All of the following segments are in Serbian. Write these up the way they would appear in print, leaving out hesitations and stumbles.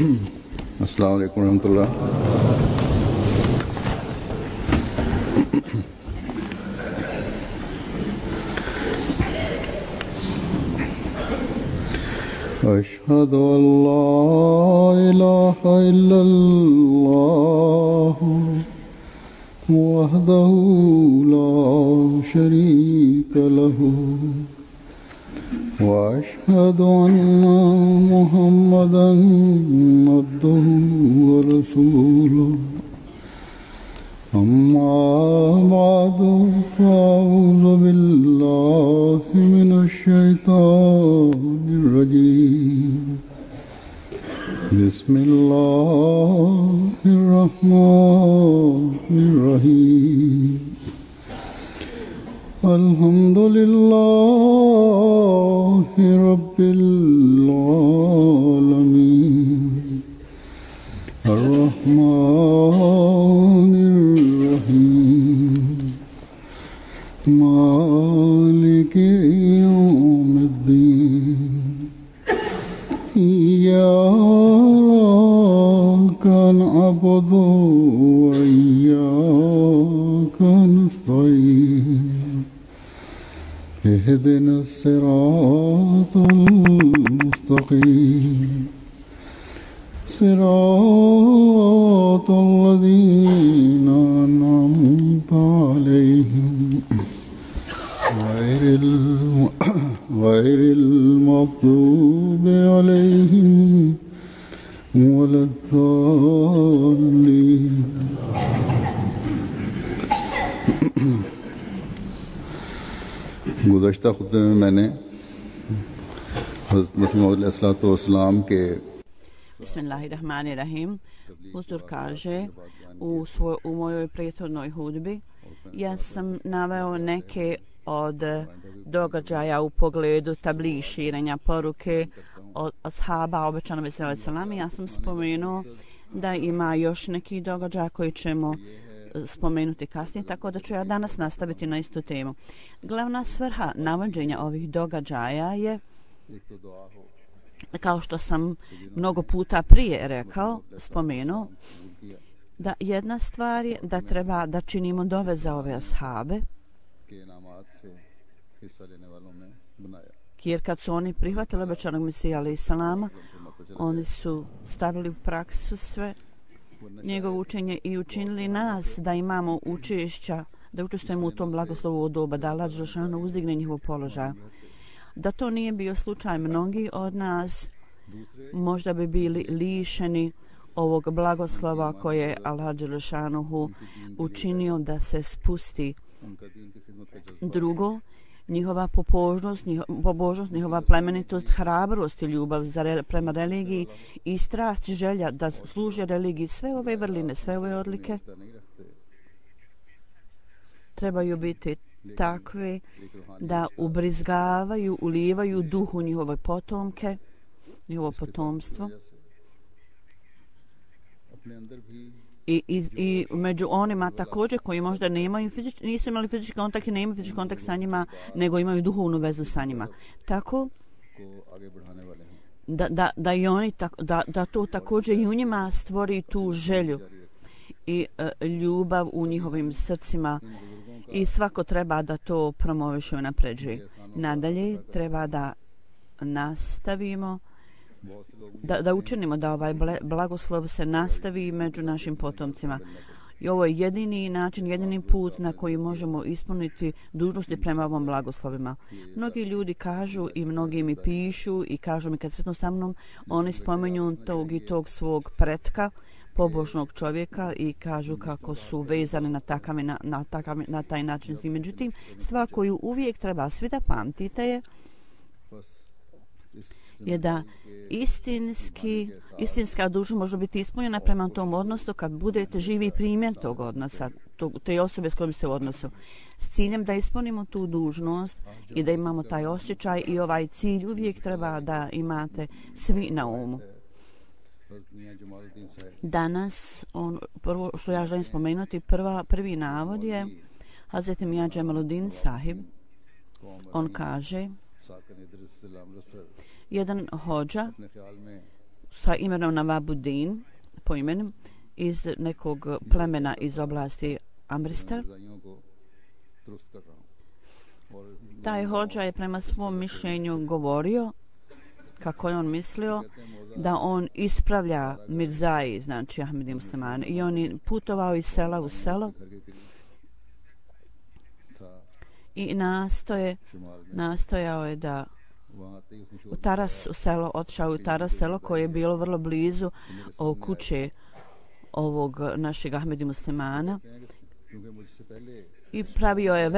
अस्सलाम वालेकुम रहमतुल्लाह। अशहदु अल्ला इलाहा इल्लल्लाह वहदहु ला शरीका लहु वअशहदु अन्ना मुहम्मदन अब्दुहु व रसूलुहु अम्मा बअदु फ़अऊज़ु बिल्लाहि मिनश शैतानिर रजीम बिस्मिल्लाहिर रहमानिर रहीम अल्हम्दुलिल्लाहि रब्बिल आलमीन अर्रहमानिर रहीम मालिकि यौमिद्दीन इय्याका नअबुदु व इय्याका नस्तईन اهدنا الصراط المستقيم صراط الذين أنعمت عليهم غير المغضوب عليهم ولا الضالين गुज़श्ता खुतबे में मैंने हज़रत मसीह मौऊद अलैहिस्सलाम के Bismillahirrahmanirrahim. Uzur kaže u mojoj prethodnoj hudbi ja sam naveo neke od događaja u pogledu tabligh, širenja poruke od ashaba obećanog sallallahu. Ja sam spomenuo da ima još neki događaja koji ćemo spomenuti kasnije, tako da ću ja danas nastaviti na istu temu. Glavna svrha navođenja ovih događaja je, kao što sam mnogo puta prije rekao, spomenuo, da jedna stvar je da treba da činimo dove za ove ashabe, jer kad su oni prihvatili obećanog Mesija alejhi selama, oni su stavili u praksu sve njegovo učenje i učinili nas da imamo učešća, da učestvujemo u tom blagoslovu od doba, da Allah dželešanu uzdigne njihov položaj. Da to nije bio slučaj, mnogi od nas možda bi bili lišeni ovog blagoslova koje je Allah dželešanu učinio da se spusti. Drugo, njihova pobožnost, njihova plemenitost, hrabrost i ljubav prema religiji i strast i želja da služe religiji, sve ove vrline, sve ove odlike trebaju biti takve da ubrizgavaju, ulivaju duhu njihove potomke, njihovo potomstvo. I među onima također koji možda nisu imali fizički kontakt i ne imaju fizički kontakt sa njima, nego imaju duhovnu vezu sa njima. Tako da i oni da to također i u njima stvori tu želju i ljubav u njihovim srcima i svako treba da to promoviše i napređuje. Nadalje treba da nastavimo da učinimo da ovaj blagoslov se nastavi među našim potomcima. I ovo je jedini način, jedini put na koji možemo ispuniti dužnosti prema ovom blagoslovima. Mnogi ljudi kažu i mnogi mi pišu i kažu mi kad sretnu sa mnom, oni spomenju tog i tog svog pretka, pobožnog čovjeka i kažu kako su vezani na taj način. Međutim, stvar koju uvijek treba svi da pamtite je da istinska dužnost može biti ispunjena prema tom odnosu kad budete živi primjer tog odnosa, te osobe s kojom ste u odnosu. S ciljem da ispunimo tu dužnost i da imamo taj osjećaj i ovaj cilj uvijek treba da imate svi na umu. Danas, prvo što ja želim spomenuti, prvi navod je Hazret Mija Džemaluddin Sahib. On kaže, jedan hođa sa imenom Navabuddin, po imenom, iz nekog plemena iz oblasti Amristar. Taj hodža je prema svom mišljenju govorio kako je on mislio da on ispravlja Mirzaji, znači Ahmedi muslimane, i on je putovao iz sela u selo i nastojao je da u Taras selo, otišao u Taras selo koje je bilo vrlo blizu kuće ovog našeg Ahmedi muslimana i pravio je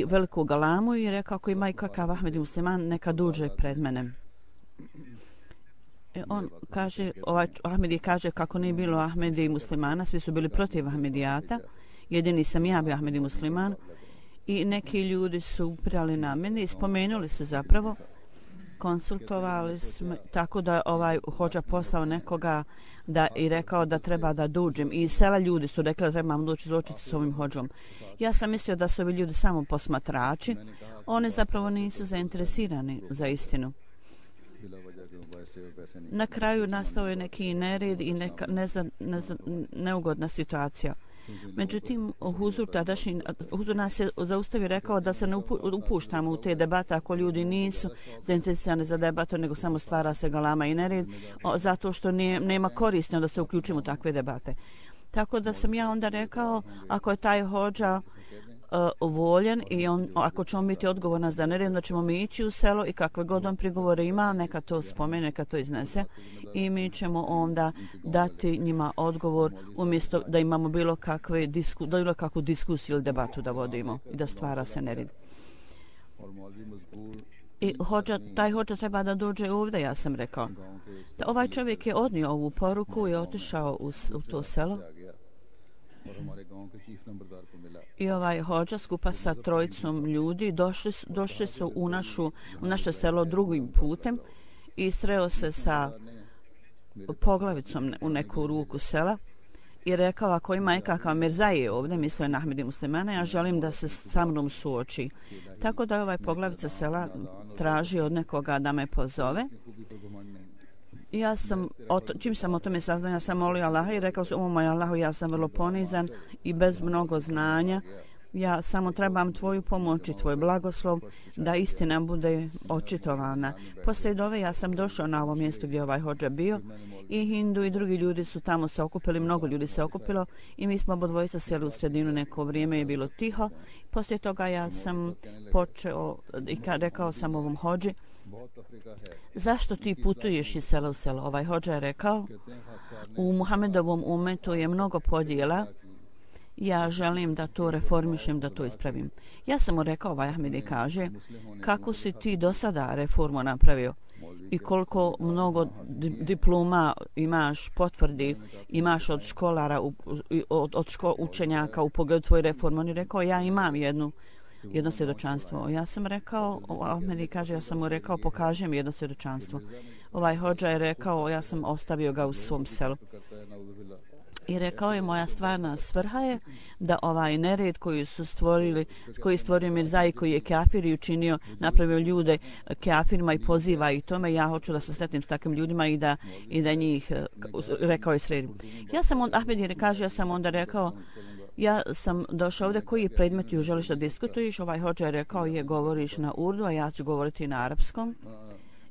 veliku galamu i rekao ako ima i kakav Ahmedi musliman neka dođe pred mene. On kaže, Ahmedi kaže kako nije bilo Ahmedi muslimana, svi su bili protiv Ahmedijata, jedini sam ja bio Ahmedi musliman i neki ljudi su upirali na mene i spomenuli se zapravo, konsultovali smo, tako da hodža poslao nekoga i rekao da treba da dođem. I sela ljudi su rekli da trebam doći izločiti s ovim hodžom. Ja sam mislio da su ovi ljudi samo posmatrači. Oni zapravo nisu zainteresirani za istinu. Na kraju nastao je neki nered i neka neugodna situacija. Međutim, Huzur nas je zaustavio, rekao da se ne upuštamo u te debate ako ljudi nisu zainteresirani za debatu, nego samo stvara se galama i nered, zato što nema koristi da se uključimo u takve debate. Tako da sam ja onda rekao, ako je taj hodža voljen i ako ćemo biti odgovorni za nered, da ćemo mi ići u selo i kakve god on prigovore ima, neka to spomene, neka to iznese i mi ćemo onda dati njima odgovor umjesto da imamo bilo kakvu diskusiju ili debatu da vodimo i da stvara se nered. I taj hodža treba da dođe ovdje, ja sam rekao. Ovaj čovjek je odnio ovu poruku i otišao u to selo. I ovaj hodža skupa sa trojicom ljudi došli su u naše selo drugim putem i sreo se sa poglavicom u neku ruku sela i rekao ako ima nekakav Mirzaje ovdje, mislio je na Ahmedi muslimana, ja želim da se sa mnom suoči. Tako da je ovaj poglavica sela traži od nekoga da me pozove. Ja sam, čim sam o tome saznao, ja sam molio Allaha i rekao sam, moj Allahu, ja sam vrlo ponizan i bez mnogo znanja. Ja samo trebam tvoju pomoć i tvoj blagoslov da istina bude očitovana. Poslije dove ja sam došao na ovo mjesto gdje ovaj hodža bio i Hindu i drugi ljudi su tamo se okupili, mnogo ljudi se okupilo i mi smo obodvojica sjeli u sredinu, neko vrijeme je bilo tiho. Poslije toga ja sam počeo i rekao sam ovom hodži, zašto ti putuješ iz sela u selo? Ovaj hodža je rekao, u Muhamedovom umetu je mnogo podjela, ja želim da to reformišem, da to ispravim. Ja sam mu rekao, ovaj Ahmedi kaže, kako si ti do sada reformu napravio i koliko mnogo diploma imaš, potvrdi imaš od školara, učenjaka u pogledu tvoje reforme. On je rekao, ja imam jedno svjedočanstvo. Ja sam rekao, Ahmedi kaže, ja sam mu rekao, pokaži mi jedno svjedočanstvo. Ovaj hodža je rekao, ja sam ostavio ga u svom selu. I rekao je, moja stvarna svrha je da ovaj nered koji je stvorio Mirzaji, koji je kafir i učinio, napravio ljude kafirima i poziva i tome, ja hoću da se sretnim s takvim ljudima i da njih, rekao je, sredim. Ahmed kaže, ja sam onda rekao, ja sam došao ovdje, koji predmet želiš da diskutuješ? Ovaj hodža je rekao, govoriš na urdu, a ja ću govoriti na arapskom.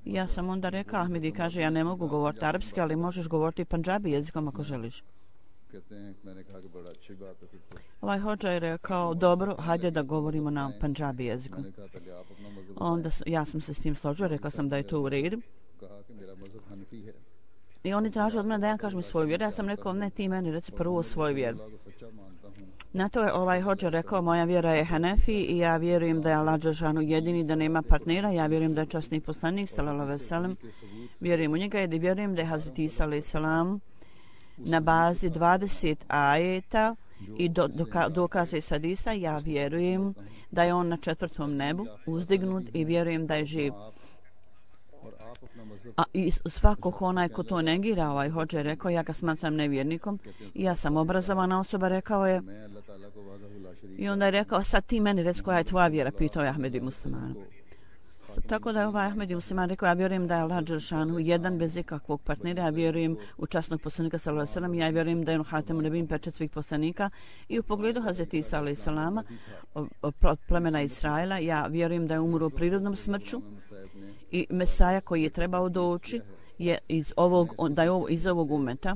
Ja sam onda rekao, Ahmedi kaže, ja ne mogu govoriti arapski, ali možeš govoriti panđabi jezikom ako želiš. Ovaj hodža je rekao, dobro, hajde da govorimo na panđabi jeziku. Onda ja sam se s tim složio, rekao sam da je to u redu. I oni traže od mene da ja kažem svoju vjeru. Ja sam rekao, ne, ti meni reci prvo svoju vjeru. Na to je ovaj hodža rekao, moja vjera je Hanefi i ja vjerujem da je Allah dželešanu jedini, da nema partnera. Ja vjerujem da je časni poslanik, sallallahu alejhi ve sellem. Vjerujem u njega i vjerujem da je Hazreti Isa alejhi selam na bazi 20 ajeta i dokaze iz hadisa. Ja vjerujem da je on na 4. nebu uzdignut i vjerujem da je živ. A i svako onaj ko to negira, ovaj hodža je rekao, ja ga smatram nevjernikom i ja sam obrazovana osoba, rekao je. I onda je rekao, sad ti meni reci koja je tvoja vjera, pitao je Ahmedi muslimanu. Tako da je ovaj Ahmed Musliman rekao, ja vjerujem da je Allah dželešanu jedan bez ikakvog partnera, ja vjerujem u časnog poslanika sallallahu alejhi ve sellem, ja vjerujem da je on hatem nebin, pečat svih poslanika, i u pogledu Hazreti Isa alejhi selama, plemena Israila, ja vjerujem da je umro prirodnom smrću i Mesaja koji je trebao doći je iz ovog umeta,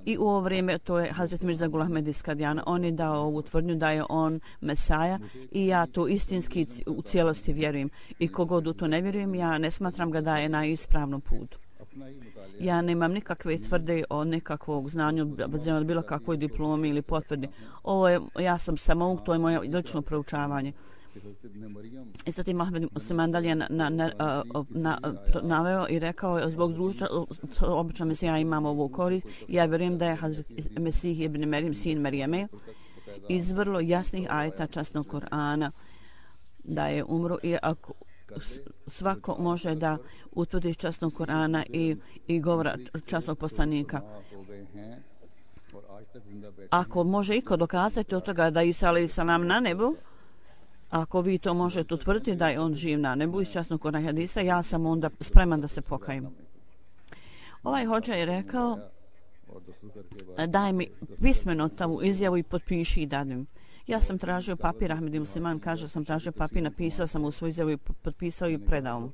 i u ovo vrijeme to je Hazret Mirza Gul Ahmed iz Kadijana. On je dao ovu tvrdnju da je on Mesaja i ja to istinski u cijelosti vjerujem, i kogod u to ne vjerujem, ja ne smatram ga da je na ispravnom putu. Ja nemam nikakve tvrde o nekakvog znanju, bilo kakvoj diplomi ili potvrdi. Ja sam samo, to je moje lično proučavanje. I zatim Ahmed Musliman dalje naveo i rekao, zbog društva, obično Mesija imamo ovu korist, ja vjerujem da je Hazret Mesih ibn Merim, sin Marijeme, iz vrlo jasnih ajeta časnog Kur'ana da je umro, i ako svako može da utvrdi časnog Kur'ana i govora časnog poslanika. Ako može iko dokazati od toga da Isa alejhi selam na nebu, ako vi to možete utvrditi da je on živ na nebu iz časnog Kur'ana hadisa, ja sam onda spreman da se pokajem. Ovaj hodža je rekao, daj mi pismeno tavu izjavu i potpiši i dadim. Ja sam tražio papir, Ahmed Musliman kaže, sam tražio papir, napisao sam u svoju izjavu i potpisao i predao mu.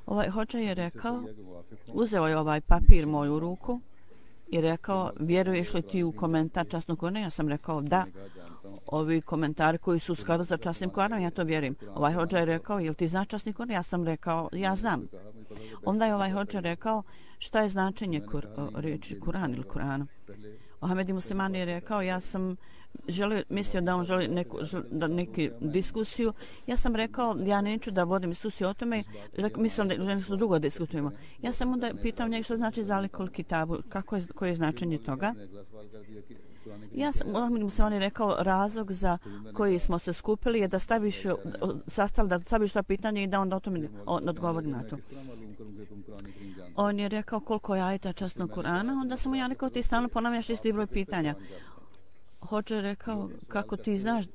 Ovaj hodža je rekao, uzeo je ovaj papir moju ruku i rekao, vjeruješ li ti u komentar časnog Kur'ana? Ja sam rekao, da. Ovi komentari koji su u skladu sa časnim Kur'anom, ja to vjerujem. Ovaj hodža je rekao, jel ti znaš časni Kur'an? Ja sam rekao, ja znam. Onda je ovaj hodža rekao, šta je značenje riječi Kur'an ili Kur'ana? Ahmed Musliman je rekao, ja sam mislio da on želi neku diskusiju. Ja sam rekao, ja neću da vodim diskusiju o tome, mislim da nešto drugo diskutujemo. Ja sam onda pitao njega što znači zalikul kitabu, koje je značenje toga. Ja sam, Ahmed Musliman je rekao, razlog za koji smo se skupili je da staviš to pitanje i da onda o tome odgovori na to. On je rekao koliko je ajeta časnog Kur'ana, onda sam mu ja rekao, ti stalno ponavljaš isti broj pitanja. Hodža je rekao, kako ti znaš,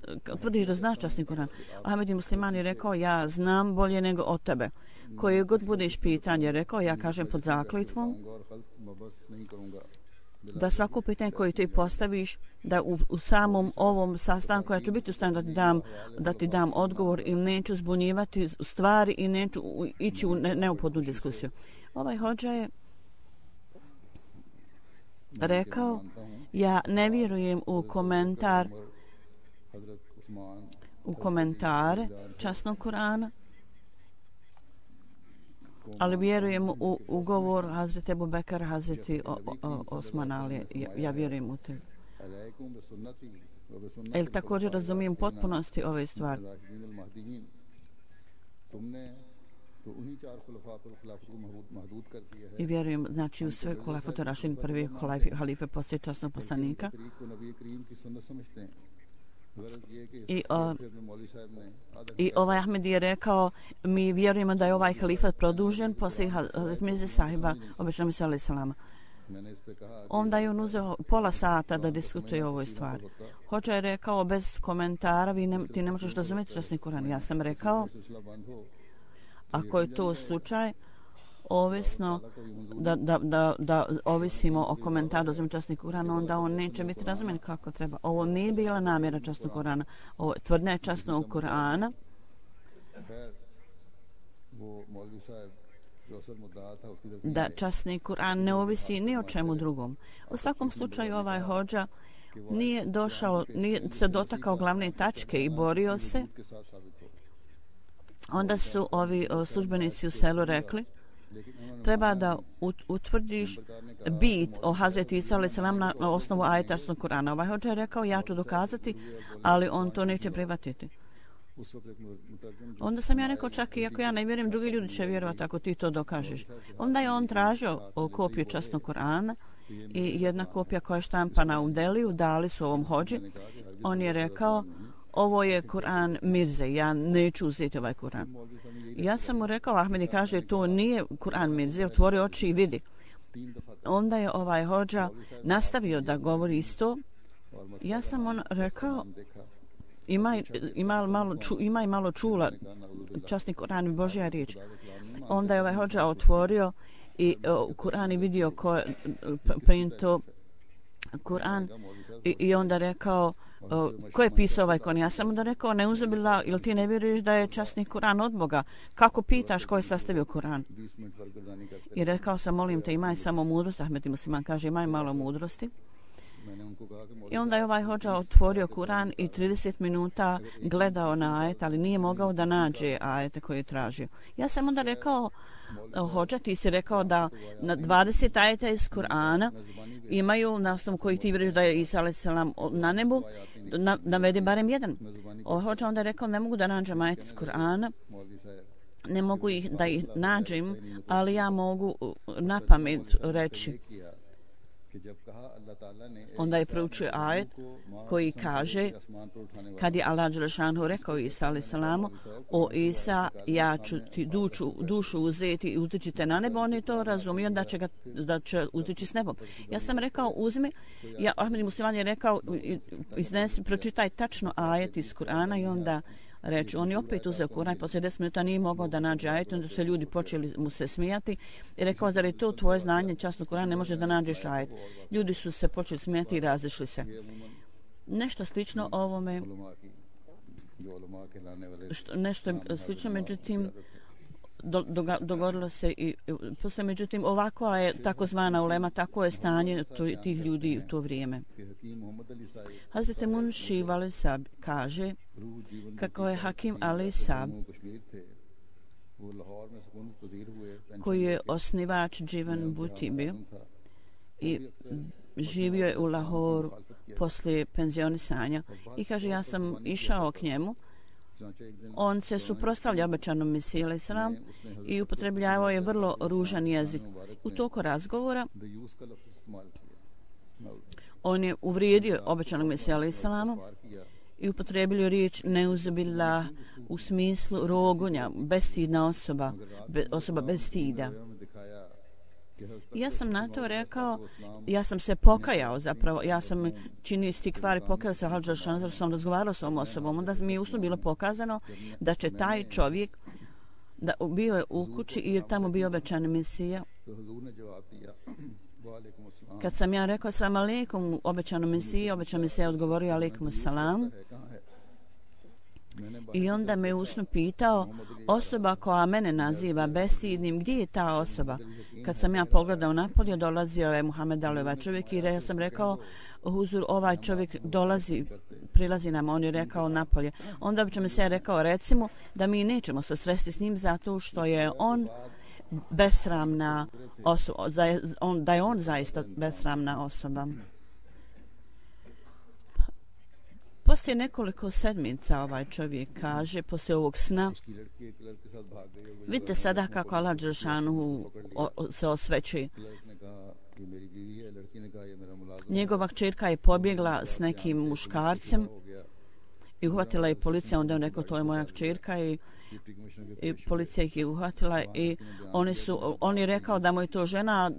tvrdiš da znaš časni Kur'an. Ahmed Musliman je rekao, ja znam bolje nego od tebe. Koje god budeš pitanje, rekao, ja kažem pod zakljetvom, da svako pitanje koje ti postaviš, da u samom ovom sastanku ja ću biti u stanju da ti dam odgovor i neću zbunjivati stvari i neću ići u neophodnu diskusiju. Ovaj hodža je rekao, ja ne vjerujem u komentare časnog Kur'ana, ali vjerujem u govor Hazreti Ebu Bekara, Hazreti Osman Ali, ja vjerujem u te. Ili također razumijem potpunosti ove stvari. I vjerujem, znači, u sve hulafatu Rašidin, prvi halife poslije časnog poslanika. I ovaj Ahmed je rekao, mi vjerujemo da je ovaj halifat produžen poslije Hazret Mirze sahiba, obično misle alejhi selama. Onda je on uzeo pola sata da diskutuje o ovoj stvari. Hodža je rekao, bez komentara ti ne možeš razumjeti časni Kur'an. Ja sam rekao, ako je to slučaj, ovisno da ovisimo o komentaru razumije časni Kur'ana, onda on neće biti razumijen kako treba. Ovo nije bila namjera časnog Kur'ana. Ovo tvrdnja je časnog Kur'ana. Da časni Kur'an ne ovisi ni o čemu drugom. U svakom slučaju ovaj hodža nije se dotakao glavne tačke i borio se. Onda su ovi službenici u selu rekli, treba da utvrdiš bit o Hazreti Isa alejhi selam na osnovu ajeta časnog Kur'ana. Ovaj hodža je rekao, ja ću dokazati, ali on to neće prihvatiti. Onda sam ja rekao, čak i ako ja ne vjerujem, drugi ljudi će vjerovati ako ti to dokažeš. Onda je on tražio kopiju časnog Kur'ana i jedna kopija koja je štampana u Deliju, dali su ovom hodži. On je rekao, ovo je Kur'an Mirze, ja neću uzeti ovaj Kur'an. Ja sam mu rekao, Ahmedi kaže, to nije Kur'an Mirze, otvori oči i vidi. Onda je ovaj hodža nastavio da govori isto. Ja sam on rekao, ima malo čula časni Kur'an i Božja riječ. Onda je ovaj hodža otvorio i Kur'an i vidio ko je printo Kur'an i onda rekao ko je pisao ovaj Kur'an. Ja sam onda rekao, ne uzubila, ili ti ne vjeruješ da je časni Kur'an od Boga? Kako pitaš ko je sastavio Kur'an? I rekao sam, molim te, imaj samo mudrost. Ahmed Musliman kaže, imaj malo mudrosti. I onda je ovaj hodža otvorio Kur'an i 30 minuta gledao na ajet, ali nije mogao da nađe ajete koje je tražio. Ja sam onda rekao, hodža, ti si rekao da na 20 ajeta iz Kur'ana imaju, na osnovu kojih ti vjeruješ da je Isa a.s. na nebu, navedi barem jedan. Hodža onda je rekao, ne mogu da nađem ajet iz Kur'ana, ne mogu da ih nađem, ali ja mogu na pamet reći. Onda je proučio ajet koji kaže, kad je Allah dželešanu rekao Isa a.s. o Isa, ja ću ti dušu uzeti i utičite na nebo, on je to razumio da će utiči s nebom. Ja sam rekao, uzmi, Ahmed Musliman je rekao, iznesi, pročitaj tačno ajet iz Kur'ana i onda reći. On je opet uzeo Kur'an, poslije 10 minuta nije mogao da nađe ajet, onda su se ljudi počeli mu se smijati i rekao, zar je to tvoje znanje časno Kur'an, ne može da nađeš ajet. Ljudi su se počeli smijati i razišli se. Nešto slično ovome, nešto slično, međutim, dogodilo se i posle, međutim, ovako je takozvana ulema, tako je stanje tih ljudi u to vrijeme. Hazreti Munši Valesab kaže kako je Hakim Alesab, koji je osnivač Dživan Buti bio i živio je u Lahoru poslije penzionisanja i kaže, ja sam išao k njemu. On se suprotstavlja obećanom Mesiji a.s. i upotrebljavao je vrlo ružan jezik. U toku razgovora on je uvrijedio obećanog Mesija a.s. i upotrebio riječ neuzubillah u smislu rogonja, bestidna osoba bez stida. Ja sam na to rekao, ja sam se pokajao zapravo, ja sam činio istikvar i pokajao se Hadža Šanzar, sam razgovarao s ovom osobom, onda mi je usno bilo pokazano da će taj čovjek, da bio je u kući i tamo bio obećani Mesija. Kad sam ja rekao salam alejkum obećanom Mesiji, obećan Mesija odgovorio alejkum salam. I onda me usno pitao, osoba koja mene naziva bestidnim, gdje je ta osoba? Kad sam ja pogledao napolje, dolazio je Muhammed Ali, ovaj čovjek, i ja sam rekao, huzur, ovaj čovjek prilazi nam, on je rekao napolje. Onda bi me se rekao, recimo, da mi nećemo se sresti s njim zato što je on besramna osoba, da je on zaista besramna osoba. Poslije nekoliko sedmica ovaj čovjek kaže, poslije ovog sna, vidite sada kako Allah dželešanu se osvećuje. Njegova kćerka je pobjegla s nekim muškarcem i uhvatila je policija, onda je rekao, to je moja kćerka i policija ih je uhvatila i on je rekao da mu je to žena,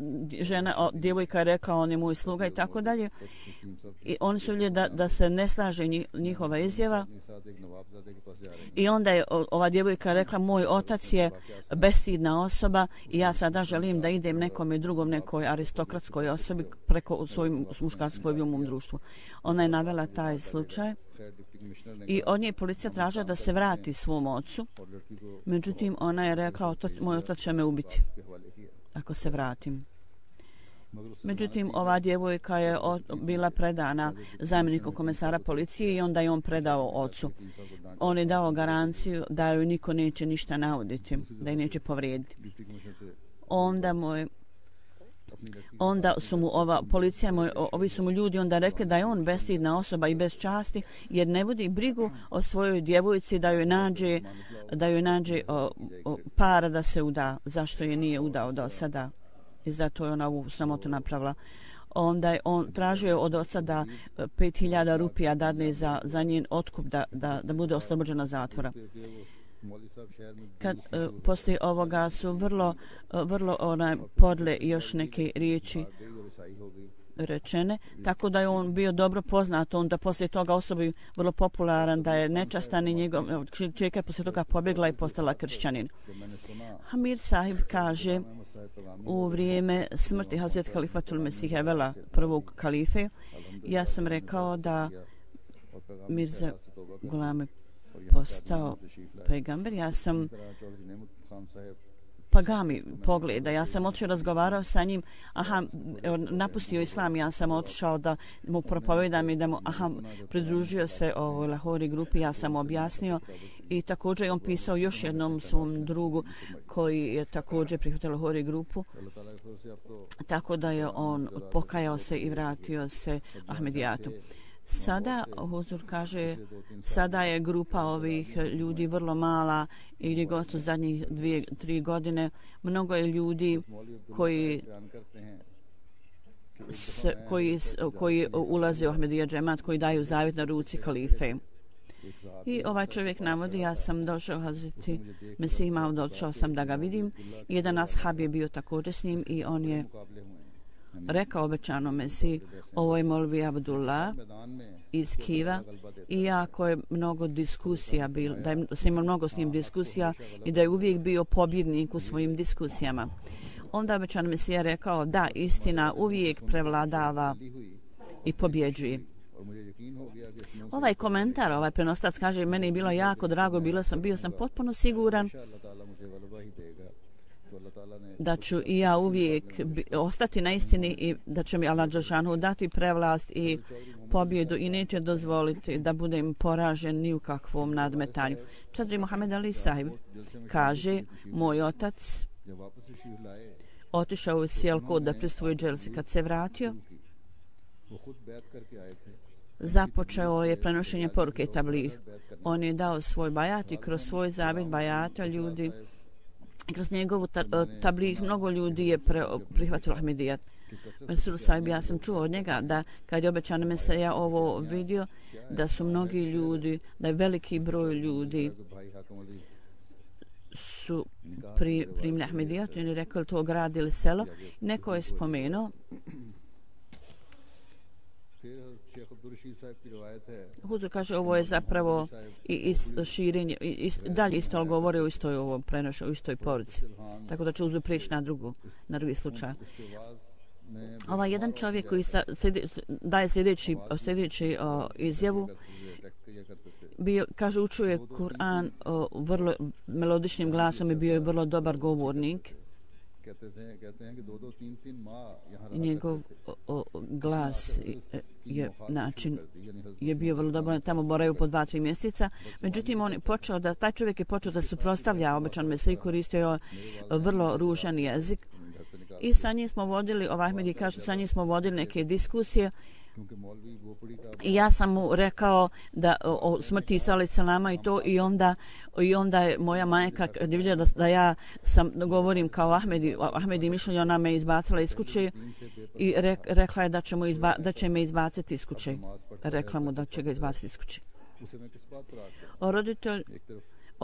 djevojka je rekao on je moj sluga i tako dalje. I oni su vidjeli da se ne slaže njihova izjava. I onda je ova djevojka rekla, moj otac je bestidna osoba i ja sada želim da idem nekome drugom, nekoj aristokratskoj osobi preko svojim muškarskoj u mom društvu. Ona je navela taj slučaj. I od nje policija tražila da se vrati svom ocu. Međutim, ona je rekla, moj otac će me ubiti ako se vratim. Međutim, ova djevojka je bila predana zamjeniku komesara policije i onda je on predao ocu. On je dao garanciju da joj niko neće ništa nauditi, da je neće povrijediti. Onda su mu ovi su mu ljudi onda rekli da je on bestidna osoba i bez časti, jer ne vodi brigu o svojoj djevojci da joj nađe para da se uda, zašto je nije udao do sada. I zato je ona ovu sramotu napravila. Onda je on tražio od oca da 5.000 rupija dadne za njen otkup da bude oslobođena zatvora. Kad poslije ovoga su vrlo podle još neke riječi rečene, tako da je on bio dobro poznat, onda poslije toga osobi vrlo popularan, da je nečastan i njegov čerka je poslije toga pobjegla i postala kršćanin. Hamid Sahib kaže, u vrijeme smrti Hazret Khalifatul Mesih Evela, prvog kalife, ja sam rekao da Mirza Ghulam postao pejgamber. Ja sam Pagami pogleda. Ja sam otišao razgovarao sa njim. Napustio islam. Ja sam otišao da mu propovedam i da mu pridružio se ovoj Lahori grupi. Ja sam objasnio i također on pisao još jednom svom drugu koji je također prihvatio Lahori grupu. Tako da je on pokajao se i vratio se Ahmedijatu. Sada, Huzur kaže, sada je grupa ovih ljudi vrlo mala i gdje gotovo zadnjih 2-3 godine mnogo je ljudi koji ulaze u Ahmedija džemat, koji daju zavjet na ruci halife. I ovaj čovjek navodi, ja sam došao Hazreti Mesih Maud, došao sam da ga vidim. Jedan ashab je bio također s njim i on je rekao obećanom Mesih, ovo je Molvi Abdullah iz Kiva, iako je mnogo diskusija bilo, da je se imao mnogo s njim diskusija i da je uvijek bio pobjednik u svojim diskusijama. Onda obećan Mesih je rekao da istina uvijek prevladava i pobjeđuje. Ovaj komentar, ovaj prenostac kaže, meni je bilo jako drago, bio sam potpuno siguran da ću i ja uvijek ostati na istini i da će mi Allah dželešanu dati prevlast i pobjedu i neće dozvoliti da budem poražen ni u kakvom nadmetanju. Čadri Mohamed Ali Sahib kaže, moj otac otišao u Sijalkot da prisvoji dželsi. Kad se vratio, započeo je prenošenje poruke tablih. On je dao svoj bajat i kroz svoj zavjet bajata ljudi, kroz njegovu tablih mnogo ljudi je prihvatilo Ahmedijat. Rasul Sahib, ja sam čuo od njega da kad je obećan Mesija ovo vidio, da su mnogi ljudi, da je veliki broj ljudi su primili Ahmedijat i on je rekao to grad ili selo. Neko je spomenuo Huzur kaže, ovo je zapravo i širenje, dalje isto govore o istoj ovom prenošu, o istoj poruci. Tako da će Huzur prijeći na drugi slučaj. Ovaj jedan čovjek koji daje sljedeći izjavu, kaže, učio je Kur'an vrlo melodičnim glasom i bio je vrlo dobar govornik. Njegov glas je bio vrlo dobar, tamo boravio po 2-3 mjeseca. Međutim, taj čovjek je počeo da se suprotstavlja obećan Mesiji i koristio vrlo ružan jezik. I sa njim smo vodili, Ahmedi kažu, sa njim smo vodili neke diskusije. I ja sam mu rekao da o smrti Isa alejhi selama i to i onda je moja majka kad je vidjela da ja sam govorim kao Ahmedi mišljenje, ona me izbacila iz kuće i rekla je da će me izbaciti iz kuće. Rekla mu da će ga izbaciti iz kuće. Roditelj,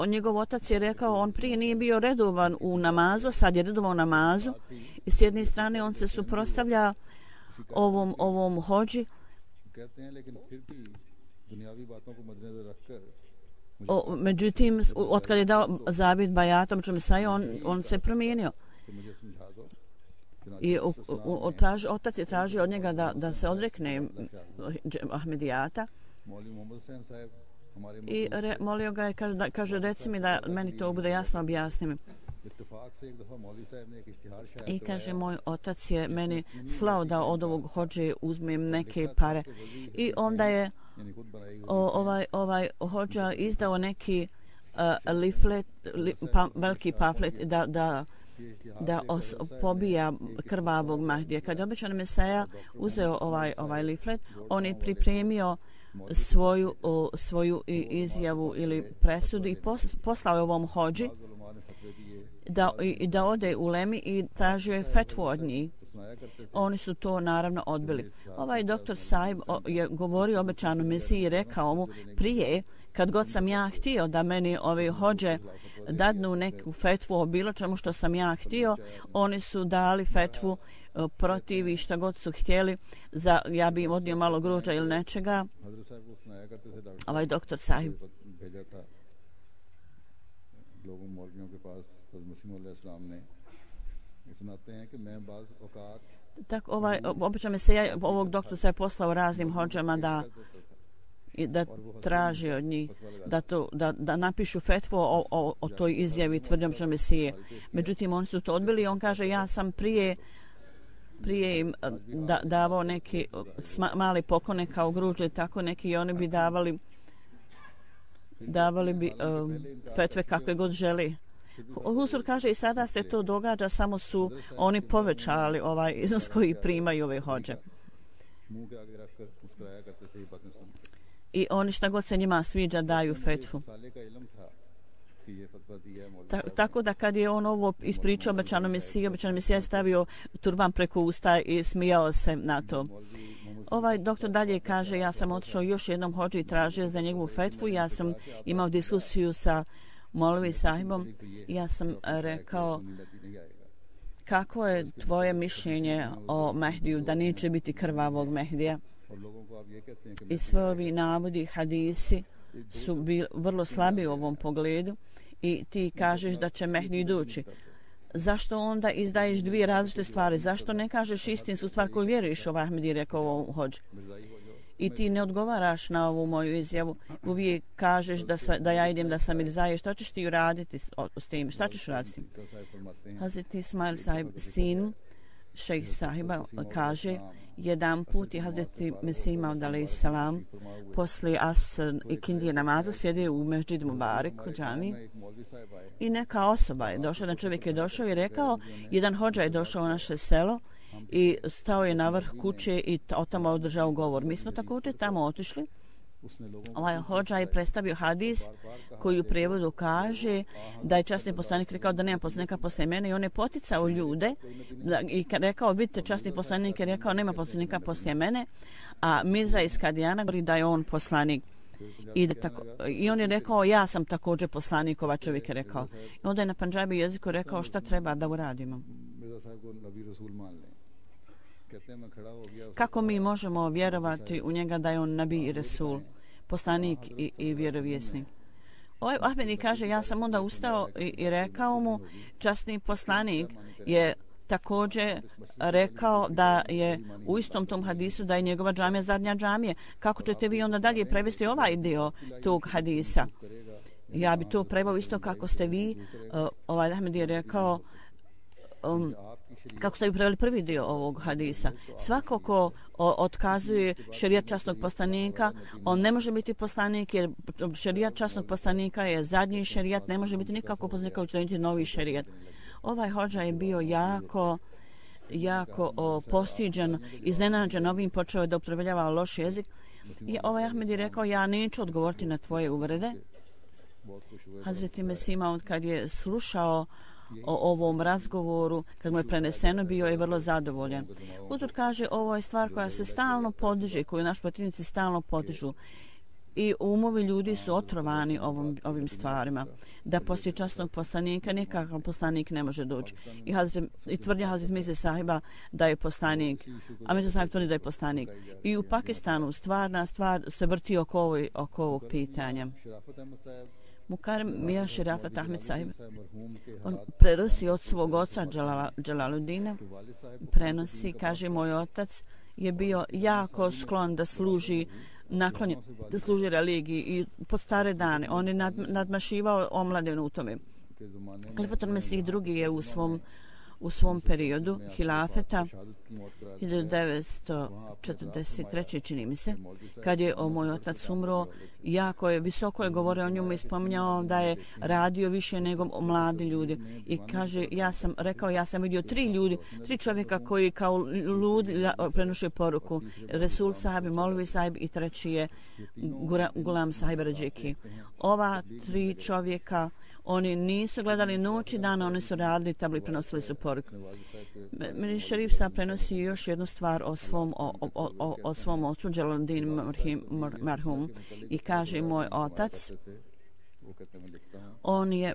njegov otac je rekao, on prije nije bio redovan u namazu, sad je redovan u namazu i s jedne strane on se suprotstavlja ovom hođi. Međutim, otkad je dao zavjet bajatom on se promijenio. I otac je tražio od njega da se odrekne Ahmedijata i molio ga je, kaže reci mi da meni to bude jasno, objasni mi. I kaže, moj otac je meni slao da od ovog hođe uzmem neke pare. I onda je ovaj hođa izdao neki leaflet, veliki pamflet da pobija krvavog Mahdija. Kad je obećan Mesaja uzeo ovaj leaflet, on je pripremio svoju izjavu ili presudu i poslao je ovom hođi da ode u Lemi i tražio je fetvu od njih. Oni su to naravno odbili. Ovaj doktor Sahib je govorio obećanom Mesiji i rekao mu prije, kad god sam ja htio da meni ove hođe dadnu neku fetvu o bilo čemu što sam ja htio, oni su dali fetvu protiv i šta god su htjeli, ja bi im odnio malo grožđa ili nečega. Ovaj doktor Sahib tako obično me se ovog doktora se je poslao raznim hođama da traži od njih da napišu fetvu o toj izjavi tvrdnjom Mesije. Međutim, oni su to odbili i on kaže ja sam prije im davao neki mali poklone kao gružđe, tako neki i oni bi davali bi fetve kakve god želi. Husur kaže i sada se to događa, samo su oni povećali ovaj iznos koji primaju ove hođe. I oni šta god se njima sviđa daju fetvu. Tako da kad je on ovo ispričao obećanom Mesija je stavio turban preko usta i smijao se na to. Ovaj doktor dalje kaže ja sam otišao još jednom hođi i tražio za njegovu fetvu. Ja sam imao diskusiju sa Molvi Sahibom i ja sam rekao kako je tvoje mišljenje o Mehdiju, da neće biti krvavog Mehdija. I sve ovi navodi, hadisi su bili vrlo slabi u ovom pogledu i ti kažeš da će Mehdi doći. Zašto onda izdaješ dvije različite stvari? Zašto ne kažeš istinsku stvar koju vjeruješ, ovaj Ahmed je rekao ovom hođi? I ti ne odgovaraš na ovu moju izjavu. Uvijek kažeš da ja idem da sam Mirzaje. Šta ćeš ti uraditi s tim? Šta ćeš uraditi s tim? Hazret Ismail Sahib, sin šejh Sahiba, kaže jedan put je Hazret Mesih Maud alejhi selam poslije Asr i Kindije namaza sjedio u Mesdžidu Mubarak u džamiji i neka osoba je došla, jedan čovjek je došao i rekao, jedan hođa je došao u naše selo i stao je na vrh kuće i tamo održao govor. Mi smo također tamo otišli. Ovaj hođa je predstavio hadis koji u prijevodu kaže da je časni poslanik rekao da nema poslanika poslije mene i on je poticao ljude i rekao vidite časni poslanik je rekao nema poslanika poslije mene, a Mirza iz Kadijana govori da je on poslanik. I on je rekao ja sam također poslanik, ovaj čovjek je rekao. I onda je na pandžabi jeziku rekao šta treba da uradimo. Kako mi možemo vjerovati u njega da je on nabi i resul, poslanik i vjerovjesnik? Ovaj Ahmedi kaže, ja sam onda ustao i rekao mu, časni poslanik je također rekao da je u istom tom hadisu da je njegova džamija zadnja džamija. Kako ćete vi onda dalje prevesti ovaj dio tog hadisa? Ja bi to preveo isto kako ste vi. Ovaj Ahmedi je rekao kako ste vi preveli prvi dio ovog hadisa. Svako ko otkazuje šerijat časnog poslanika, on ne može biti poslanik jer šerijat časnog poslanika je zadnji šerijat, ne može biti nikako poslanika učiniti novi šerijat. Ovaj hođa je bio jako postiđen, iznenađen ovim, počeo je da upotrebljava loš jezik. I ovaj Ahmed je rekao, ja neću odgovoriti na tvoje uvrede. Hazret Mesih Maud kad je slušao o ovom razgovoru, kad mu je preneseno, bio je vrlo zadovoljan. Utor kaže, ovo je stvar koja se stalno podiže, koju naši protivnici stalno podižu. I umovi ljudi su otrovani ovim stvarima. Da poslije časnog poslanika nikakav poslanik ne može doći. I tvrdnja Hazret Mirze Sahiba da je poslanik. A Mirza Sahib tvrdi da je poslanik. I u Pakistanu stvarna stvar se vrti oko ovog pitanja. Mukarem Mija Širafat Ahmed Sahib, on prenosi od svog oca Džalaludina, prenosi, kaže, moj otac je bio jako sklon da služi religiji i pod stare dane. On je nadmašivao omladinu u tome. Khalifatul Mesih II je u svom periodu hilafeta 1943. čini mi se, kad je moj otac umro, jako je visoko je govorio o njemu i spominjao da je radio više nego mladi ljudi. I kaže, ja sam vidio 3 čovjeka koji kao ludi prenoše poruku. Resul Sahib, Molvi Sahib i treći je Gulam Sahib Rađiki. Ova 3 čovjeka, Oni nisu gledali noć i dan, oni su radili tabli, prenosili su poruku. Mir Šerif sad prenosi još jednu stvar o svom ocu, Jalaluddin marhum, i kaže moj otac, on je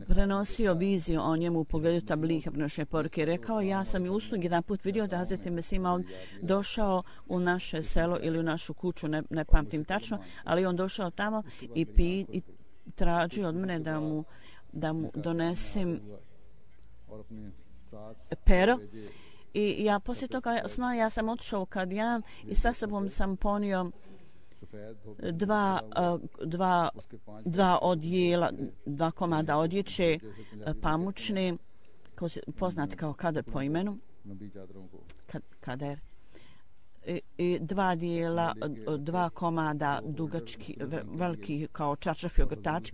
prenosio viziju o njemu u pogledu tabliha, prenošenja poruke. Rekao, ja sam i uslugi jedan put vidio da Hazreti Mesih Maud došao u naše selo ili u našu kuću, ne pamtim tačno, ali on došao tamo i tražio od mene da mu donesem pero. I ja poslije toga ja sam otišao kad ja i sa sobom sam ponio dva odjela, 2 komada odjeće pamučne, poznate kao kader po imenu, kader, i 2 dijela, 2 komada dugački, veliki kao čaršafi ogrtač.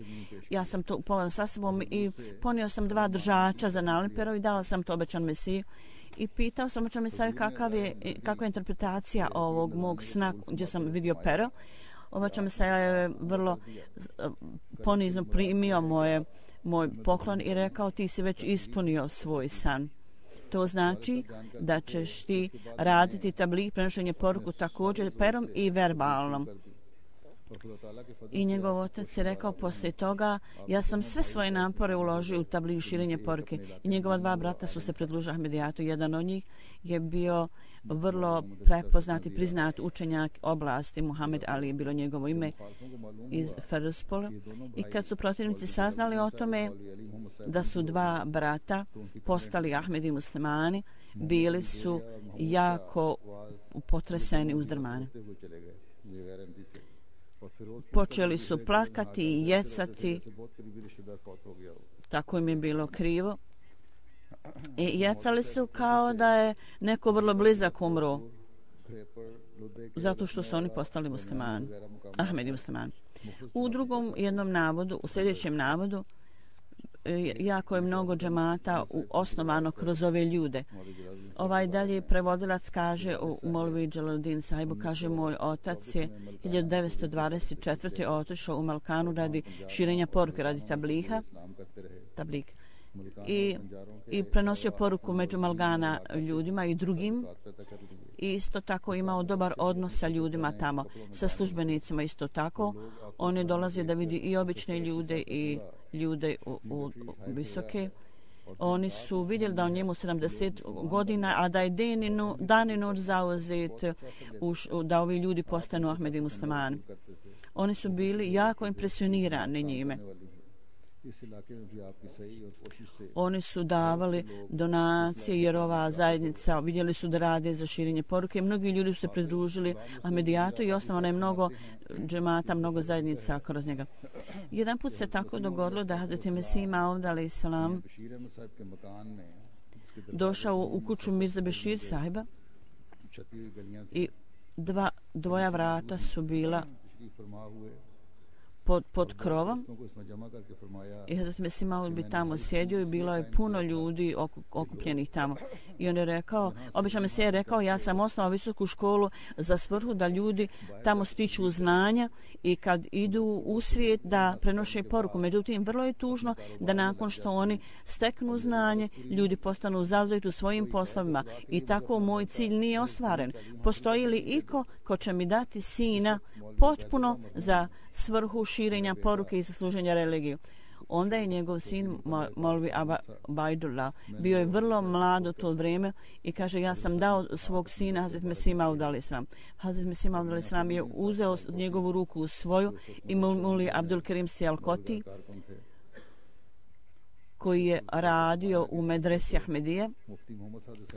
Ja sam to ponio sa sobom i ponio sam 2 držača za nalimperu i dala sam to obećan Mesiju. I pitao sam obećan Mesiju kakva je interpretacija ovog mog sna gdje sam vidio pero. Obećan Mesija je vrlo ponizno primio moj poklon i rekao, ti si već ispunio svoj san. To znači da ćeš ti raditi tabligh, prenošenje poruku također perom i verbalnom. I njegov otac je rekao poslije toga, ja sam sve svoje napore uložio u tabligh, širenje poruke. I njegova 2 brata su se pridružili Ahmedijatu. Jedan od njih je bio vrlo prepoznat i priznat učenjak oblasti, Muhammed Ali je bilo njegovo ime, iz Feruspola. I kad su protivnici saznali o tome da su 2 brata postali Ahmedi muslimani, bili su jako potreseni, uzdrmani. Počeli su plakati i jecati, tako im je bilo krivo. I jecali su kao da je neko vrlo blizak umro, zato što su oni postali muslimani, Ahmedi muslimani. U drugom jednom navodu, u sljedećem navodu, jako je mnogo džemata osnovano kroz ove ljude. Ovaj dalje prevodilac kaže u Molvi Jalaluddin sahibu, kaže, moj otac je 1924. otišao u Malkanu radi širenja poruke, radi tabliha, i prenosio poruku među Malgana ljudima i drugim. I isto tako imao dobar odnos sa ljudima tamo, sa službenicima isto tako. On je dolazio da vidi i obične ljude i ljude u visoke. Oni su vidjeli da on njemu 70 godina, a da je dan i noć zauzet da ovi ljudi postanu Ahmedi muslimani. Oni su bili jako impresionirani njime. Oni su davali donacije jer ova zajednica vidjeli su da rade za širenje poruke. Mnogi ljudi su se pridružili Ahmedijatu i osnovano je mnogo džemata, mnogo zajednica kroz njega. Jedan put se tako dogodilo da Hazreti Mesih Maud alejhi selam došao u kuću Mirza Bešir sahiba i 2 vrata su bila pod krovom i Hazreti Mesih Maud bi tamo sjedio i bilo je puno ljudi okupljenih tamo. I on je rekao, obično Mesih je rekao, ja sam osnovao visoku školu za svrhu da ljudi tamo stiču znanja i kad idu u svijet da prenoše poruku. Međutim, vrlo je tužno da nakon što oni steknu znanje, ljudi postanu zauzeti u svojim poslovima i tako moj cilj nije ostvaren. Postoji li iko ko će mi dati sina potpuno za svrhu širenja poruke i za služenja religiju? Onda je njegov sin Molvi Abajdullah bio je vrlo mlad u to vrijeme i kaže, ja sam dao svog sina Hazreti Mesih Maud alejhi selam. Hazreti Mesih Maud alejhi selam je uzeo njegovu ruku u svoju i Muli Abdul Kerim Sialkoti, koji je radio u medresi Ahmedije,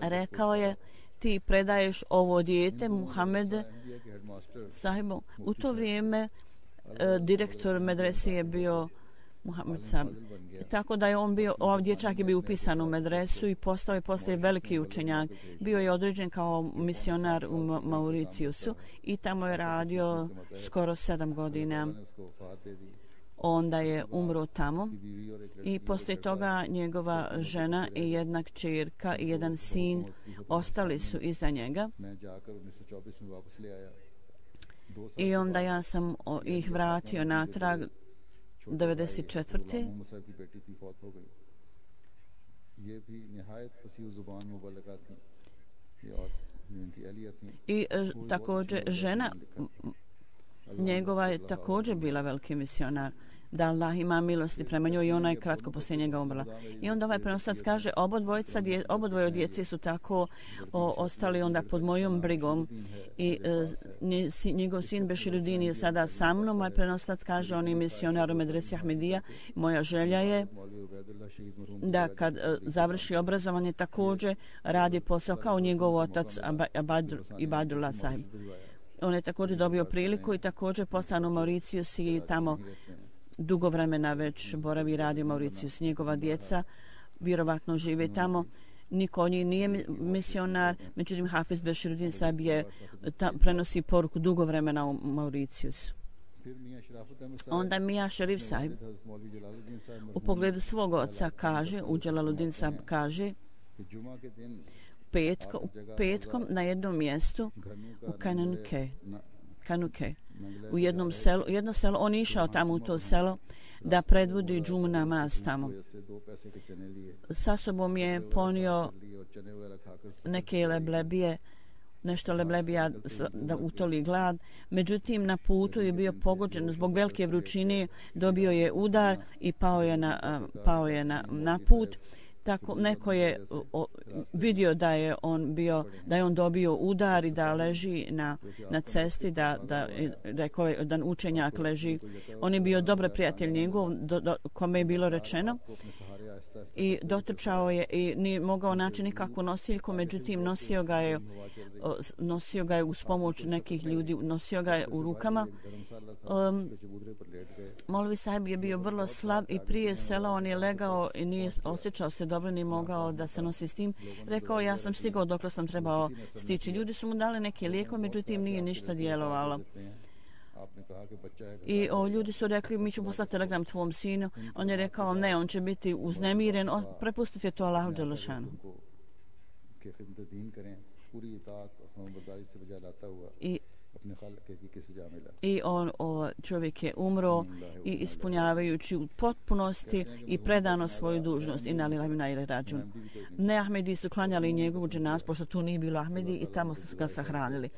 rekao je, ti predaješ ovo dijete Muhammed sahibu. U to vrijeme direktor medrese je bio Muhammed sam. Tako da je on bio, ovaj dječak je bio upisan u medresu i postao je poslije veliki učenjak. Bio je određen kao misionar u Mauriciusu i tamo je radio skoro 7 godina. Onda je umro tamo i poslije toga njegova žena i jedna kćerka i jedan sin ostali su iza njega. I onda ja sam ih vratio natrag 94. मोहम्मद साहब की बेटी थी, फौत हो गई। ये भी निहायत फसीह ज़ुबान मुबल्लिगा थी, ये और इनकी अहलिया थी। I također žena njegova je također bila veliki misionar, da Allah ima milosti prema njoj i ona je kratko poslije njega umrla. I onda ovaj prenosac kaže obodvoje djece su tako ostali onda pod mojom brigom i njegov sin Beširuddin je sada sa mnom. Ovaj prenosac kaže on je misionar u medresi Ahmedija. Moja želja je da kad završi obrazovanje također radi posao kao njegov otac Ibadullah sahib. On je također dobio priliku i također poslano u Mauricius i tamo dugo vremena već boravi i radi u Mauricius. Njegova djeca vjerovatno žive tamo. Niko od njih nije misionar, međutim Hafiz Beširuddin sahib je prenosi poruku dugo vremena u Mauricius. Onda Mija Šerif sahib u pogledu svog oca kaže, u Jalaluddin sahib kaže, petkom na jednom mjestu u Kanuke, u jedno selo, on je išao tamo u to selo da predvodi džumu namaz tamo. Sa sobom je ponio neke leblebije, nešto leblebija da utoli glad. Međutim, na putu je bio pogođen zbog velike vrućine, dobio je udar i pao je na put. Tako neko je vidio da je on dobio udar i da leži na cesti, da rekao je da učenjak leži. On je bio dobar prijatelj njegov, kome je bilo rečeno, i dotrčao je i nije mogao naći nikakvu nosiljku, međutim nosio ga je uz pomoć nekih ljudi, nosio ga je u rukama. Molvi sahib je bio vrlo slab i prije sela on je legao i nije osjećao se dobro, ni mogao da se nosi s tim. Rekao, ja sam stigao dok sam trebao stići. Ljudi su mu dali neke lijekove, međutim nije ništa djelovalo. I ljudi su rekli, mi ću poslati telegram tvom sinu. On je rekao, ne, on će biti uznemiren, prepustite to Allahu Đelešanu. I čovjek je umro i ispunjavajući u potpunosti i predano svoju dužnost. I nalilahi rađun. Ne Ahmedi su klanjali njegovu dženazu, pošto tu nije bilo Ahmedi, i tamo su ga sahranili.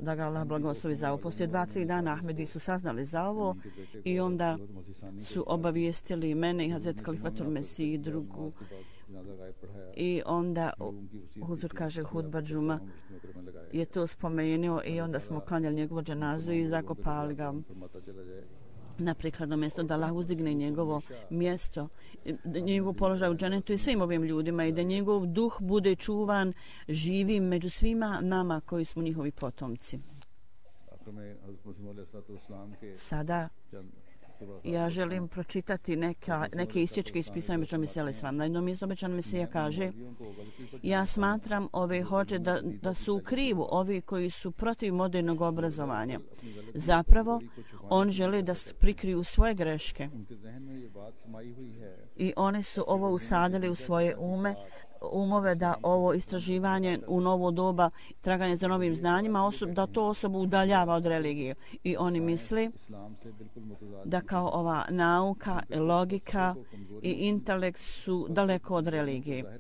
Da ga Allah blagoslovi za ovo. Poslije 2-3 dana Ahmedi su saznali za ovo i onda su obavijestili mene i Hazret Kalifatul Mesih i drugu. I onda Huzur kaže hudba džuma je to spomenuo i onda smo klanjali njegovu dženazu i zakopali ga na prikladno mjesto, da Allah uzdigne njegovo mjesto, njegov položaj u dženetu i svim ovim ljudima i da njegov duh bude čuvan živim među svima nama koji smo njihovi potomci. Sada ja želim pročitati neke isječke iz pisanja Obećanog Mesije alejhi selam. Na jednom mjestu Obećanog Mesija kaže: ja smatram ove hođe da su u krivu ovi koji su protiv modernog obrazovanja. Zapravo, on želi da prikriju svoje greške. I oni su ovo usadili u svoje umove da ovo istraživanje u novo doba, traganje za novim znanjima, da to osobu udaljava od religije. I oni misli da kao ova nauka, logika i intelekt su daleko od religije.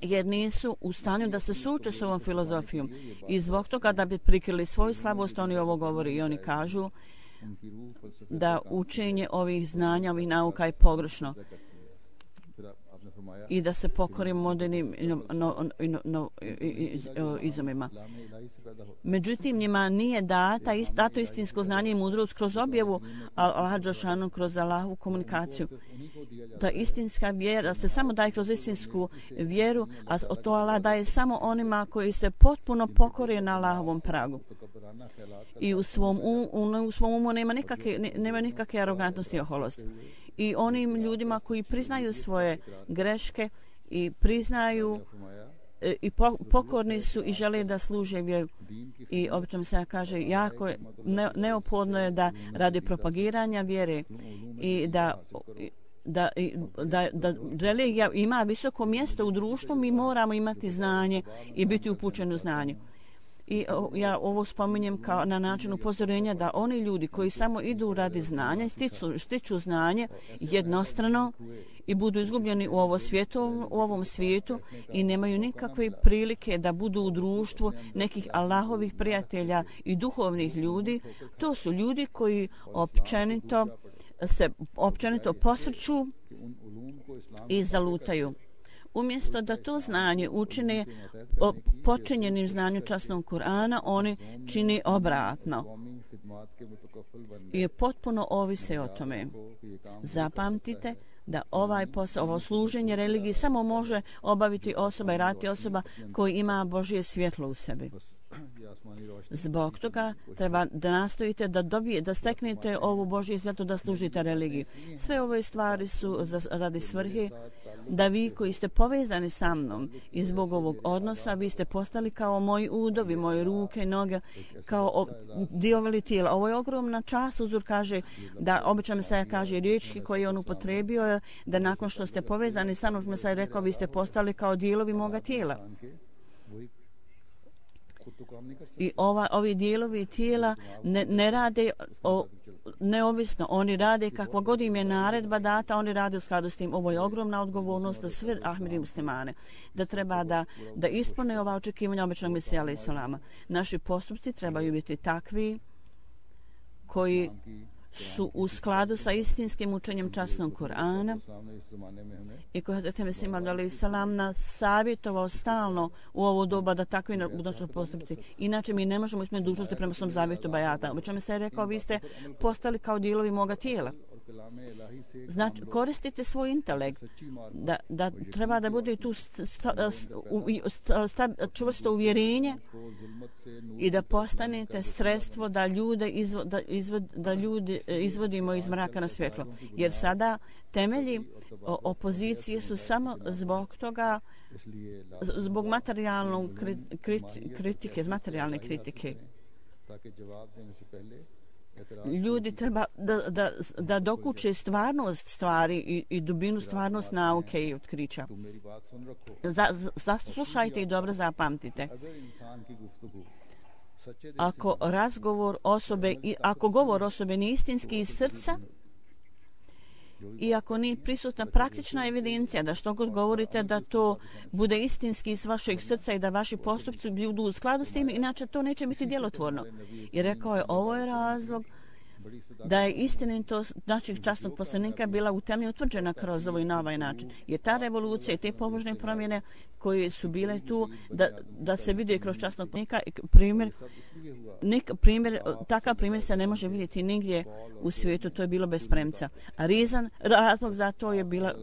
Jer nisu u stanju da se suoče s ovom filozofijom. I zbog toga da bi prikrili svoju slabost, oni ovo govori i oni kažu da učenje ovih znanja, ovih nauka je pogrešno i da se pokorimo modernim izumima. Međutim, njima nije dato istinsko znanje i mudrost kroz objavu Allaha dželešanu, kroz Allahovu komunikaciju. Ta istinska vjera se samo daje kroz istinsku vjeru, a to Allah daje samo onima koji se potpuno pokore na Allahovom pragu. I u svom umu nema nikakve arogantnosti i oholosti. I onim ljudima koji priznaju svoje greške i priznaju i pokorni su i žele da služe vjeru. I obično se kaže, jako je neophodno je da radi propagiranja vjere i da religija ima visoko mjesto u društvu, mi moramo imati znanje i biti upućeni u znanju. I ja ovo spominjem kao na način upozorenja da oni ljudi koji samo idu radi znanja, stiču znanje jednostrano i budu izgubljeni u ovom svijetu i nemaju nikakve prilike da budu u društvu nekih Allahovih prijatelja i duhovnih ljudi, to su ljudi koji općenito posrću i zalutaju. Umjesto da to znanje učine počinjenim znanju časnog Kur'ana, oni čini obratno i potpuno ovise o tome. Zapamtite da ovaj posao, ovo služenje religiji samo može obaviti osoba i raditi osoba koja ima Božje svjetlo u sebi. Zbog toga treba da nastojite da steknete ovu Božje svjetlo da služite religiji. Sve ove stvari su radi svrhe da vi koji ste povezani sa mnom i zbog ovog odnosa vi ste postali kao moji udovi, moje ruke, noge, kao diovi tijela. Ovo je ogromna čast. Uzor kaže da obično Mesaja kaže riječi koje on upotrebio da nakon što ste povezani sa mnom, Mesaja rekao vi ste postali kao dijelovi moga tijela. I ovi dijelovi tijela ne rade neovisno, oni rade kakva god im je naredba data, oni rade u skladu s tim. Ovo je ogromna odgovornost za sve Ahmedi muslimane, da treba da ispune ova očekivanja običnog Mesija alejhi selama. Naši postupci trebaju biti takvi koji su u skladu sa istinskim učenjem časnog Kur'ana i koji Hazreti Mesih alejhi selam nas savjetovao stalno u ovo doba da takvi budućnost postupci. Inače mi ne možemo ispuniti dužnosti prema svom zavjetu bajata. Obično mi se rekao vi ste postali kao dijelovi moga tijela. Znači, koristite svoj intelekt, da treba da bude tu čvrsto uvjerenje i da postanete sredstvo da ljude izvodimo iz mraka na svjetlo. Jer sada temelji opozicije su samo zbog materijalne kritike. Ljudi treba da dokuče stvarnost stvari i dubinu stvarnost nauke i otkrića. Zaslušajte i dobro zapamtite. Ako govor osobe nije istinski iz srca i ako nije prisutna praktična evidencija da što god govorite da to bude istinski iz vašeg srca i da vaši postupci budu u skladu s tim, inače to neće biti djelotvorno. I rekao je, ovo je razlog da je istinitost naših časnog poslanika bila u temelju utvrđena kroz ovo i na ovaj način. Jer ta revolucija i te pobožne promjene koje su bile tu da se vide kroz časnog poslanika, takav primjer se ne može vidjeti nigdje u svijetu, to je bilo bez premca. A razlog za to je bila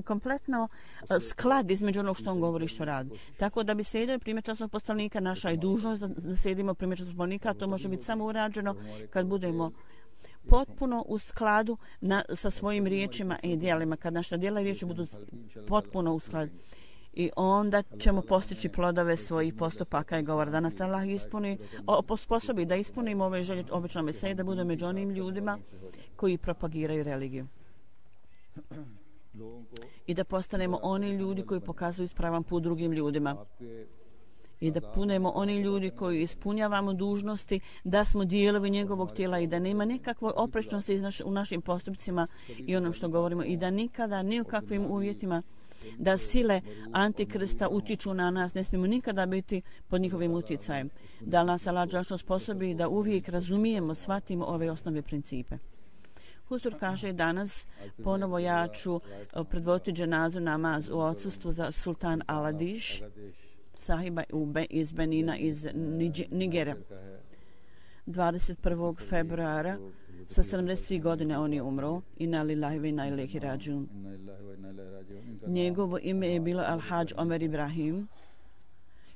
kompletno sklad između onog što on govori i što radi. Tako da bi slijedili primjer časnog poslanika, naša je dužnost da slijedimo primjer časnog poslanika, a to može biti samo urađeno kad budemo potpuno u skladu sa svojim riječima i djelima, kad naša djela i riječi budu potpuno u skladu. I onda ćemo postići plodove svojih postupaka i govora. Da nas Allah sposobi da ispunimo ove želje običnog Mesije, da bude među onim ljudima koji propagiraju religiju. I da postanemo oni ljudi koji pokazuju ispravan put drugim ljudima. I da punemo oni ljudi koji ispunjavamo dužnosti, da smo dijelovi njegovog tijela i da nema nikakve oprečnosti u našim postupcima i onom što govorimo. I da nikada, ni u kakvim uvjetima, da sile Antikrista utiču na nas, ne smijemo nikada biti pod njihovim utjecajem. Da nas Allah dželle sposobi da uvijek razumijemo, shvatimo ove osnovne principe. Huzur kaže danas, ponovo ja ću predvoditi dženazu namaz u odsustvu za sultan Aladiš, sahiba iz Benina iz Nigera. 21. februara sa 73 godine on je umro. Inna lillahi wa inna ilaihi rađun. Njegovo ime je bilo Al-Hadž Omer Ibrahim.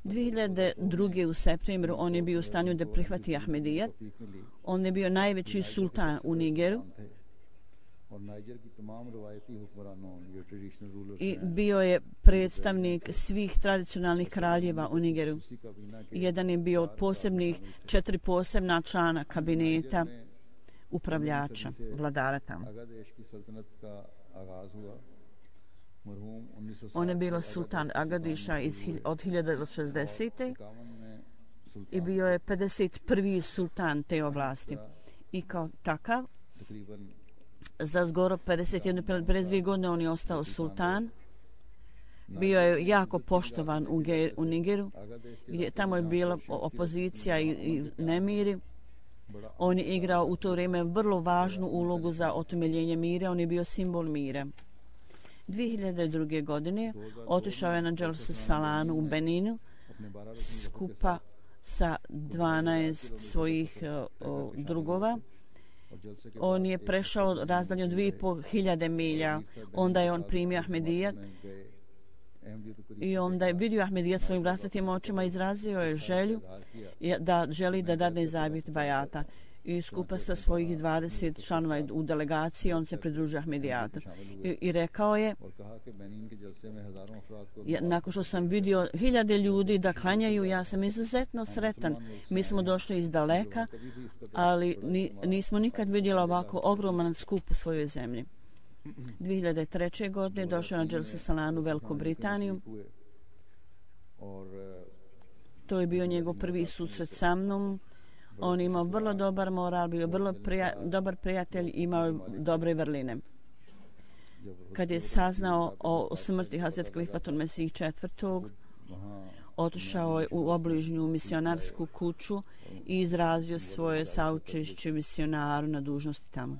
2002. u septembru on je bio u stanju da prihvati Ahmedijat. On je bio najveći sultan u Nigeru i bio je predstavnik svih tradicionalnih kraljeva u Nigeru. Jedan je bio od posebnih 4 posebna člana kabineta upravljača, vladara tamo. On je bio sultan Agadiša od 1960. i bio je 51. sultan te oblasti. I kao takav, za skoro 52 godine on je ostao sultan. Bio je jako poštovan u Nigeru, gdje tamo je bila opozicija i nemiri. On je igrao u to vrijeme vrlo važnu ulogu za otemeljenje mira, on je bio simbol mira. 2002. godine otišao je na Dželsu Salanu u Beninu skupa sa 12 svojih drugova. On je prešao razdalju 2500 milja, onda je on primio Ahmedijat i onda je vidio Ahmedijat svojim vlastitim očima, izrazio je želju da želi da dadne zavjet bajata i skupa sa svojih 20 članova u delegaciji on se pridružio Ahmedijatu i rekao je, nakon što sam vidio 1000 ljudi da klanjaju, ja sam izuzetno sretan. Mi smo došli iz daleka, ali nismo nikad vidjeli ovako ogroman skup u svojoj zemlji. 2003. godine došao na Dželsu Salanu u Veliku Britaniju. To je bio njegov prvi susret sa mnom. On imao vrlo dobar moral, bio vrlo dobar prijatelj, imao dobre vrline. Kad je saznao o smrti Hazret Khalifatul Mesih IV, otišao je u obližnju misionarsku kuću i izrazio svoje saučešće misionaru na dužnosti tamo.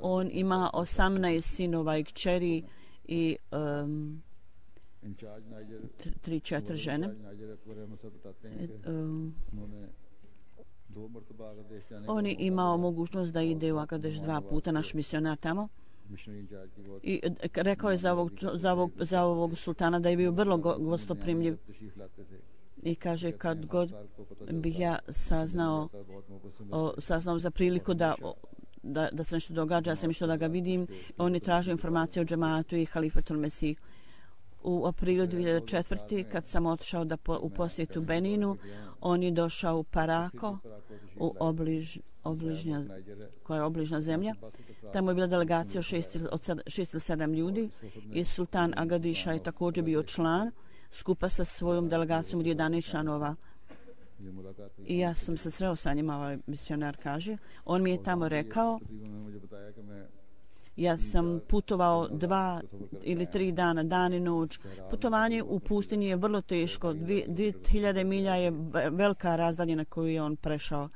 On ima 18 sinova i kćeri i 3-4 žene. On je imao mogućnost da ide u Agadeš 2 puta, naš misionar tamo. I rekao je za ovog sultana da je bio vrlo gostoprimljiv. I kaže, kad god bih ja saznao za priliku da se nešto događa, ja sam išao da ga vidim, on je tražio informacije o džematu i Halifatul Mesih. U aprilu 2004. kad sam otišao u posjetu Beninu, on je došao u Parako, koja je obližna zemlja. Tamo je bila delegacija od 6 ili 7 ljudi i sultan Agadiša je također bio član, skupa sa svojom delegacijom od 11 članova. I ja sam se sreo sa njima, ovaj misionar kaže. On mi je tamo rekao, ja sam putovao 2 ili 3 dana, dan i noć. Putovanje u pustinji je vrlo teško. 2000 milja je velika razdaljina koju je on prešao.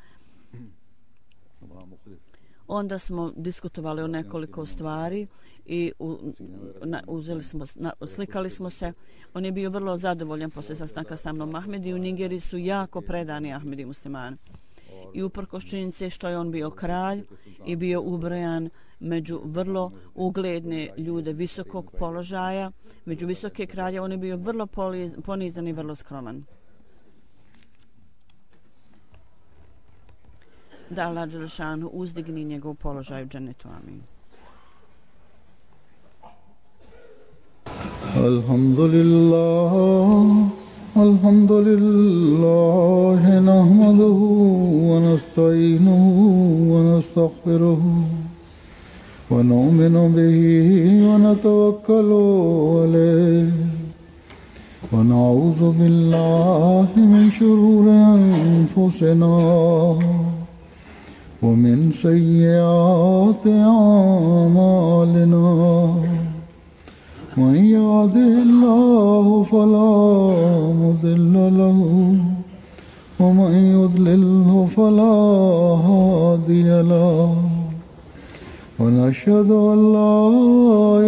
Onda smo diskutovali o nekoliko stvari i slikali smo se. On je bio vrlo zadovoljan poslije sastanka sa mnom. Ahmedi u Nigeriji su jako predani Ahmedi muslimani. I uprkos činjenice što je on bio kralj i bio ubrojan među vrlo ugledne ljude visokog položaja, među visoke kralje, on je bio vrlo ponizan i vrlo skroman. Da Allah dželešanu uzdigni njegov položaj u džennetu. Amin. Alhamdulillah nahmaduhu wa nasta'inuhu wa nastaghfiruhu wa nu'minu bihi wa natawakkalu alayhi wa na'udhu billahi min shururi anfusina ومن سيئات أعمالنا من يهده الله فلا مضل له ومن يضلله فلا هادي له ونشهد أن لا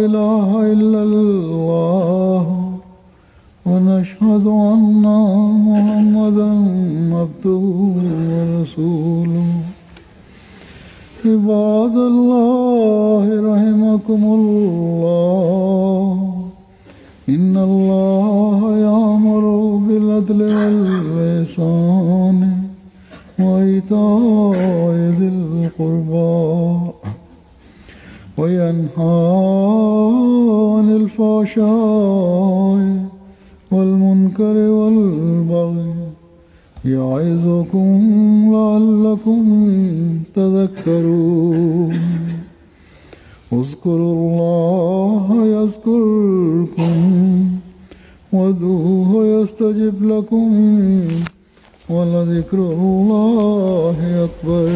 إله إلا الله ونشهد أن محمدا عبده ورسوله عباد الله رحمكم الله إن الله يأمر بالعدل والإحسان وإيتاء ذي القربى وينهى عن الفحشاء والمنكر والبغي يعظكم لعلكم تذكرون اذكروا الله يذكركم وادعوه يستجب لكم ولذكر الله أكبر